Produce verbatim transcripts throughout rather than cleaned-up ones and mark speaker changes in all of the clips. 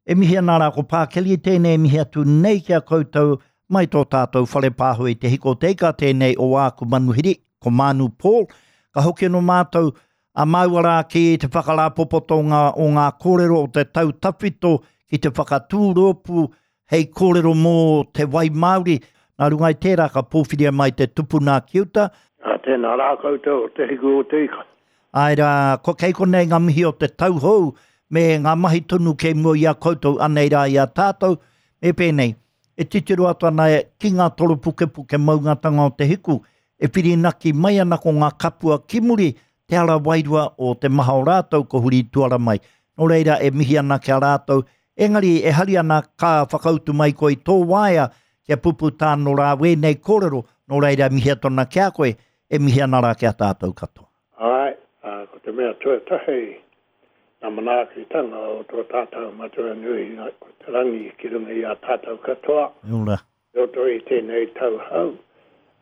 Speaker 1: E mihi ana rā ko Pākeli tēnei mihi atu nei ki a koutou mai tō tātou whare pāho i te hiko te ika tēnei o āku manuhiri, ko Mānu Paul. Ka hoki anō mātou a māua rā ki te whakarāpopotonga o ngā kōrero o te tau tawhito ki te whakatū rōpū hei kōrero mō te wai Māori. Nā runga i tērā ka pōwhiria mai te tupuna ki uta.
Speaker 2: A tēnā rā koutou o te hiku o te ika.
Speaker 1: Āe rā, ko kei konei ngā mihi o te tau hou me ngā mahi tonu kei mua i a koutou anei rā i a tātou. Me pēnei, e titiro atu ana ki ngā toropukepuke maungatanga o te hiku, e whirinaki mai ana ko ngā kapua ki muri, te ara wairua o te maha o rātou ko huri tuara mai. Nō reira e mihi ana ki a rātou, engari e hari ana ka whakautu mai koe i tō waea kia pupu tāno rā wēnei kōrero, nō reira mihi atu ana ki a koe, e mihi ana rā ki a tātou katoa.
Speaker 2: Āe, ko te mea tuatahi, nā manaakitanga o tō tātou matua nui, ko te rangi ki runga i a tātou katoa.
Speaker 1: Ora.
Speaker 2: Roto i tēnei tau hau.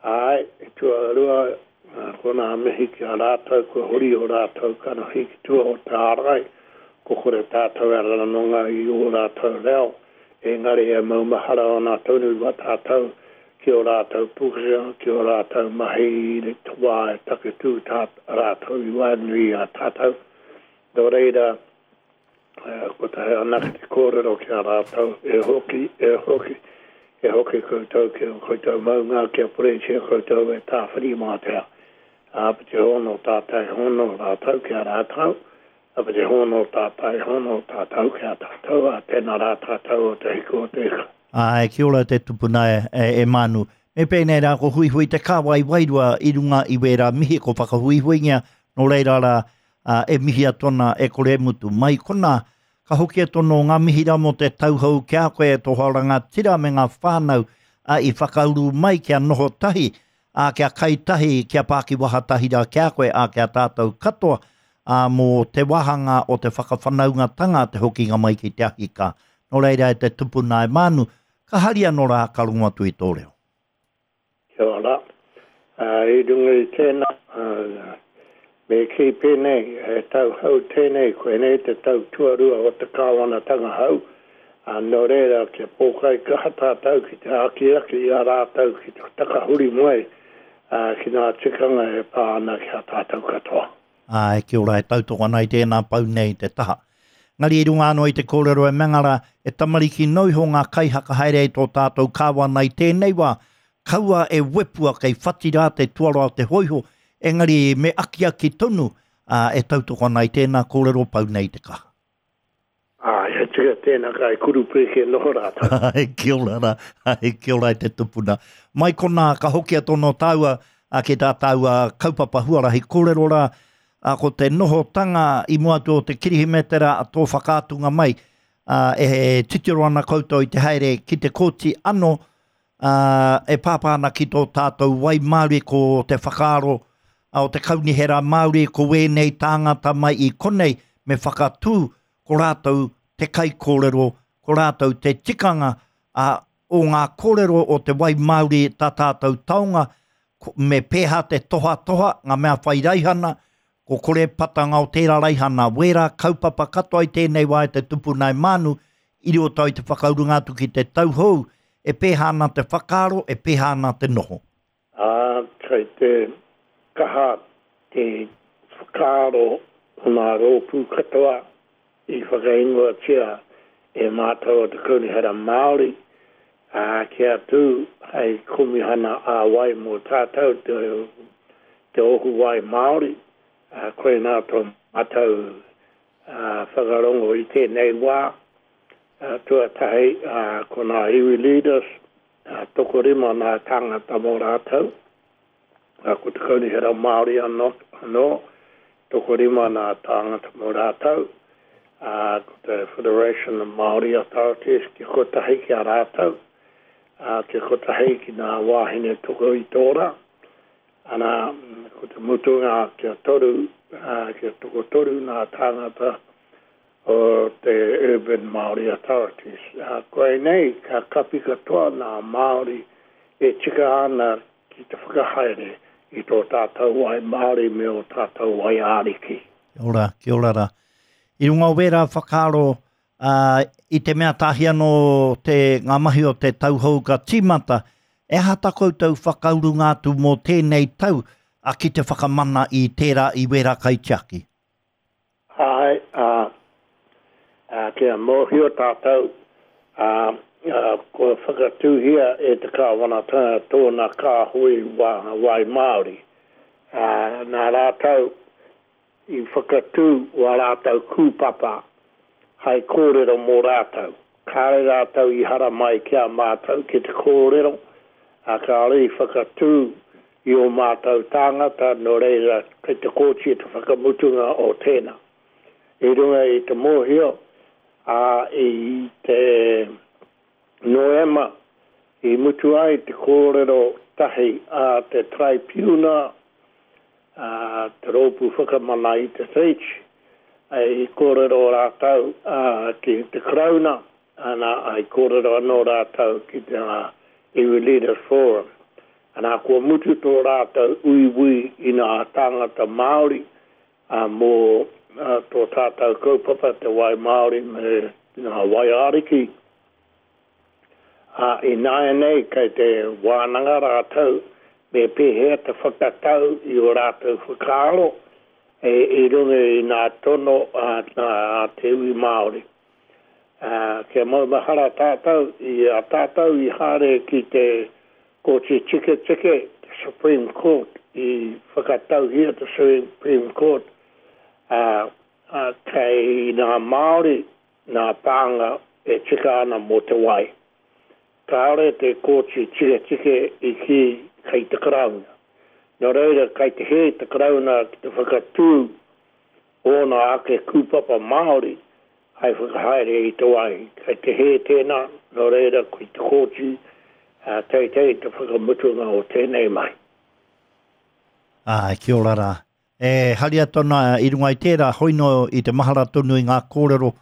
Speaker 2: Āe, e tuarua, ko nā mihi ki a rātou, kua huri o rātou kanohi ki tua o te ārai, ko kore tātou e ranonga i o rātou reo, engari e maumahara ana tonu wa tātou ki o rātou pukenga, ki o rātou mahi i te wā e taketū tā rātou i waenganui i a tātou. Nō reira, ko tahi anake te kōrero ki a rātou, e hoki, e hoki, e hoki koutou ki o koutou maunga, kia pureitia koutou e Tāwhirimātea. Āpiti hono tātai hono rātou ki a rātou, āpiti hono tātai hono tātou ki a tātou, a tēnā rā tātou o te hiku o te ika.
Speaker 1: Āe, kia ora te tupuna e, e, e Mānu. Me pēnei rā ko huihui te kāwai wairua i runga i wērā mihi ko whakahuihuingia, nō reira rā uh, e mihi atu ana e kore mutu. Mai kona, ka hoki atu anō ngā mihi rā mō te tauhou ki a koe e tō hoa rangatira me ngā whānau uh, i whakauru mai kia noho tahi, uh, kia kai tahi, kia pākiwaha tahi rā ki a koe, a kia tātou katoa uh, mō te wāhanga o te whakawhanaungatanga te hokinga mai ki te ahika. Nō reira e te tupuna e Mānu, ka hari anō rā ka rongo atu i tō reo.
Speaker 2: Kia ora. Uh, i runga i tēnā, uh, me kī pēnei, he tau hau tēnei, koinei te tau tuarua o te kāwanatanga hau, uh, nō reira kia pōkai kaha tātou ki te akiaki i a rātou ki te takahuri mai uh, ki ngā tikanga e pā ana ki a tātou katoa.
Speaker 1: Āe, kia ora, e tautoko ana i tēnā pau nei te taha. Ngari i runga anō i te kōrero e Mengara, e tamariki no iho ngā kaihaka haere i tō tātou kāwana i tēnei wā, kaua e wepua kei whati rā te tuara o te hoiho, engari me akiaki tonu uh, e tautoko ana i tēnā kōrero pau nei te kaha.
Speaker 2: Āe, he tika tēnā kai kurupeke noho rātou.
Speaker 1: Ai, kia ora rā, ai, kia ora i te tupuna. Mai konā, ka hoki atu anō tāua a ki tā tāua kaupapa huarahi kōrero rā, a ko te nohotanga i mua atu o te kirihimetera a tō whakaatunga mai, a, e titiro ana koutou i te haere ki te kōti anō, a, e pāpā ana ki tō tātou wai Māori ko te whakaaro a, o te kaunihera Māori ko wēnei tāngata mai i konei me whakatū ko rātou te kaikōrero, ko rātou te tikanga a, o ngā kōrero o te wai Māori tā tātou taonga, ko, me pēhā te tohatoha, ngā mea whai raihana, ko kore patanga o tērā raihana, wērā kaupapa katoa i tēnei wā e te tupuna e Mānu, i roto i te whakaurunga atu ki te tauhou, e pēhā ana te whakaaro, e pēhā ana te noho.
Speaker 2: Ā, kei te kaha te whakaaro o ngā rōpū katoa i whakaingoatia e mātou o te Kaunihera Māori, ā, kia tū hei komihana ā-wai mō tātou te, te ohu wai Māori, ā, koinā tō mātou uh, whakarongo i tēnei wā. Uh, tuatahi, uh, ko ngā iwi leaders, uh, tokorima ngā tāngata mō rātou. Uh, ko te Kaunihera Māori anō, anō tokorima ngā tāngata mō rātou. Uh, ko te Federation of Māori Authorities ki kotahi ki a rātou, uh, ki kotahi ki ngā wāhine toko i tōra. Ana, ko te mutunga kia toru, uh, kia tokotoru ngā tāngata o te Urban Māori Authorities. Uh, koinei ka kapi katoa ngā Māori e tika ana ki te whakahaere i tō tātou wai Māori me o tātou wai āriki.
Speaker 1: Kia ora, kia ora rā. I runga o wērā whakaaro, Uh, i te mea tahi anō te, ngā mahi o te tauhou ka tīmata, e aha tā koutou whakaurunga atu mō tēnei tau a ki te whakamana i tērā i wera kaitiaki?
Speaker 2: Ai, a, a, kia mōhio tātou, a, a, kua whakatūhia e te kāwanatanga tōna kāhui wā, wai Māori. A, nā rātou i whakatū wā rātou kūpapa hai kōrero mō rātou. Kāre rātou i hara mai ki a mātou ki te kōrero, a kāre i whakatū i o mātou tāngata, nō reira kei te kōti te whakamutunga o tēnā. I runga i te mōhio, a i te Noema, i mutu ai te kōrero tahi a te traipiuna, a te rōpū whakamana i te Tiriti, i kōrero rātou a, ki te Karauna, ana i kōrero anō rātou ki te uh, Iwi Leaders Forum. Ana kua mutu tō rātou uiui i ngā tāngata Māori a, mō a, tō tātou kaupapa te wai Māori me ngā wai ariki. A, i nāianei kei te wānanga rātou me pēhea te whakatau i o rātou whakaaro e, i runga i ngā tono a, a, a te iwi Māori. Uh, kia maumahara tātou, i a tātou i haere ki te Kōti Tiketike, te Supreme Court, i whakatauhia te Supreme Court, uh, uh, kei ngā Māori ngā pānga e tika ana mō te wai. Kāore te Kōti Tiketike i ki kei te Karauna. Nō reira, kei te hē te Karauna ki te whakatū ōna ake kūpapa Māori hai whakahaere i te wai. Kei te hē tēnā, nō reira, kei te kōti uh, teitei te whakamutunga o tēnei mai.
Speaker 1: Ai, kia ora rā. E haria tona i runga i tērā, hoino i te mahara tonu i ngā kōrero,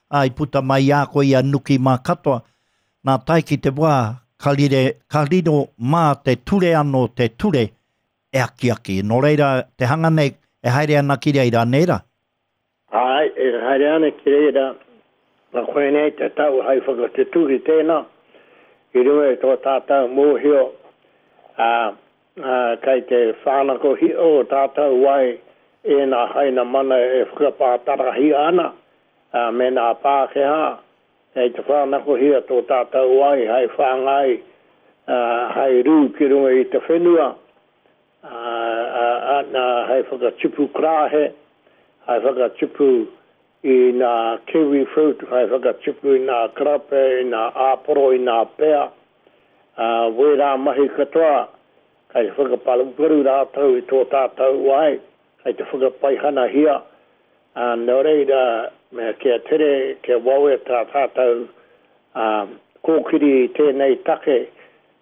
Speaker 1: a i puta mai i a koe i a Nuki mā katoa. Nā tae ki te wā, ka, rire, ka riro mā te ture anō te ture e akiaki. Nō reira, te hanga nei e haere ana ki reira, nē rā?
Speaker 2: Ai, e haere ana ki reira, nā koenei te tau hai whakatutuki tēnā, i runga i tō tātou mōhio, a, a, kei te whānakohia o tātou wai e nā haina mana e whakapātarahia ana, a, me nā Pākehā, kei te whānakohia tō tātou wai hai whāngai, a, hai rū ki runga i te whenua, a, a, a, nā hai whakatipu krāhe, hai whakatipu i ngā kiwi fruit, hai whakatipu i ngā karape, i ngā āporo, i ngā pea. Uh, wērā mahi katoa, kei te whakaparuparu rātou i tō tātou wai, kei te whakapaihanahia. Uh, nō reira, me kia tere, kia wawe tā tātou um, kōkiri i tēnei take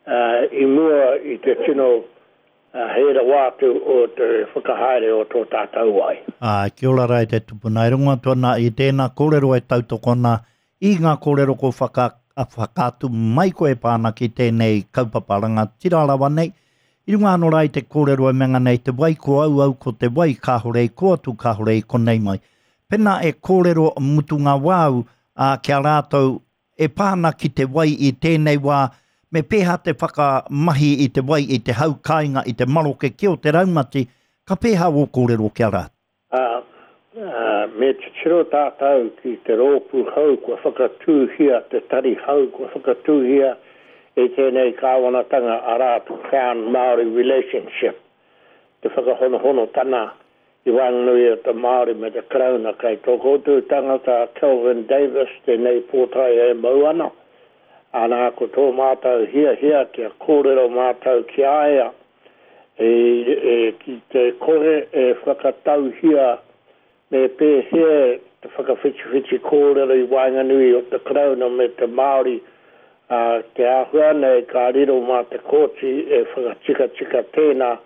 Speaker 2: uh, i mua i te tino uh, hē rawa atu o te whakahaere o tō tātou wai.
Speaker 1: Ai, kia ora rā e te tupuna. E rongo atu ana i tēnā kōrero e tautokona i ngā kōrero ko whaka, whakaatu mai koe e pā ana ki tēnei kaupapa rangatira rawa nei. I runga anō rā i te kōrero e menga nei te wai ko au au ko te wai kāhore i ko atu kāhore i konei mai. Pena e kōrero mutunga wāu a, kia rātou e pā ana ki te wai i tēnei wā, me pēhā te whakamahi i te wai i te hau kāinga i te maroke ki o te raumati, ka pēhā wō kōrero kia rātou?
Speaker 2: Uh, uh, me titiro tātou ki te rōpū hau kua whakatūhia, te tari hau kua whakatūhia e tēnei kāwanatanga arā te Crown Māori Relationship, te whakahonohonotana i waenganui o te Māori me te Karauna. Kei tō koutou tangata Kelvin Davis tēnei pōtae e mau ana. Ana ko tō mātou hiahia kia kōrero mātou ki a ia, e, e, ki te kore e whakatauhia me pēhea te whakawhitiwhiti kōrero i waenganui o te Karauna me te Māori, uh, te āhua nei ka riro mā te kōti e whakatikatika tēnā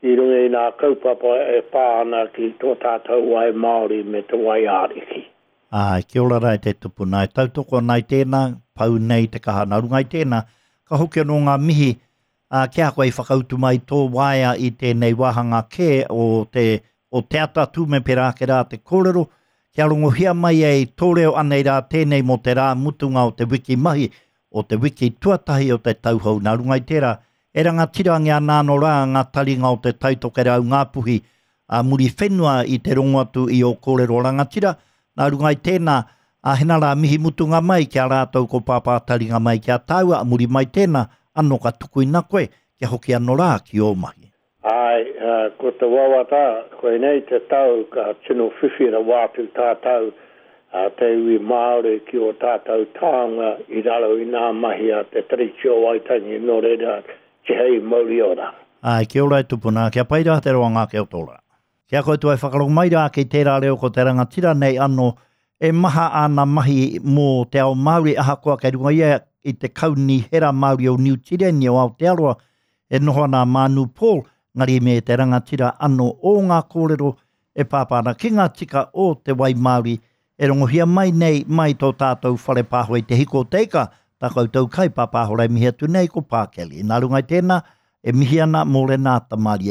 Speaker 2: i runga i ngā kaupapa e pā ana ki tō tātou wai Māori me te wai ariki.
Speaker 1: Ai, kia ora rā e te tupuna. E tautoko ana i tēnā, pau nei te kaha. Nā runga i tēnā, ka hoki anō ngā mihi uh, kia koe i whakautu mai tō waea i tēnei wāhanga kē o te, o te atatū me pērā ake rā te kōrero, Kia rongohia mai ai tō reo anei rā tēnei mō te rā mutunga o te wiki mahi, o te wiki tuatahi o te tau hou. Nā runga i tērā, e rangatirangia ana anō rā ngā taringa o te Tai Tokerau Ngāpuhi a Muriwhenua i te rongo atu i ō kōrero rangatira. Nā runga i tēnā, a hena rā mihi mutunga mai ki a rātou ko Pāpā Taringa mai ki a tāua, a muri mai tēnā, anō ka tukuina koe, kia hoki anō rā ki ō mahi.
Speaker 2: Āe, ko te wawata, koinei te tau ka tino whiwhi rawa atu tātou te iwi Māori ki ō tātou taonga i raro i ngā mahi a te Tiriti o Waitangi, nō reira, tihei mauri ora.
Speaker 1: Āe, kia ora e tupuna, kia pai rā te roanga ake o tō rā. Ki a koutou e whakarongo mai rā ki tērā reo ko te rangatira nei anō, e maha āna mahi mō te ao Māori, ahakoa kei runga ia i te Kaunihera Māori o Niu Tireni o Aotearoa, e noho ana a Mānu Paul, ngari me te rangatira anō o ngā kōrero e pāpā ana ki ngā tika o te wai Māori e rongohia mai nei mai tō tātou whare pāho i te hiko o te ika, tā koutou kai pāpāho rei mihi atu nei ko Pākeli. Nā runga i tēnā, e mihi ana mō Renata Mārie.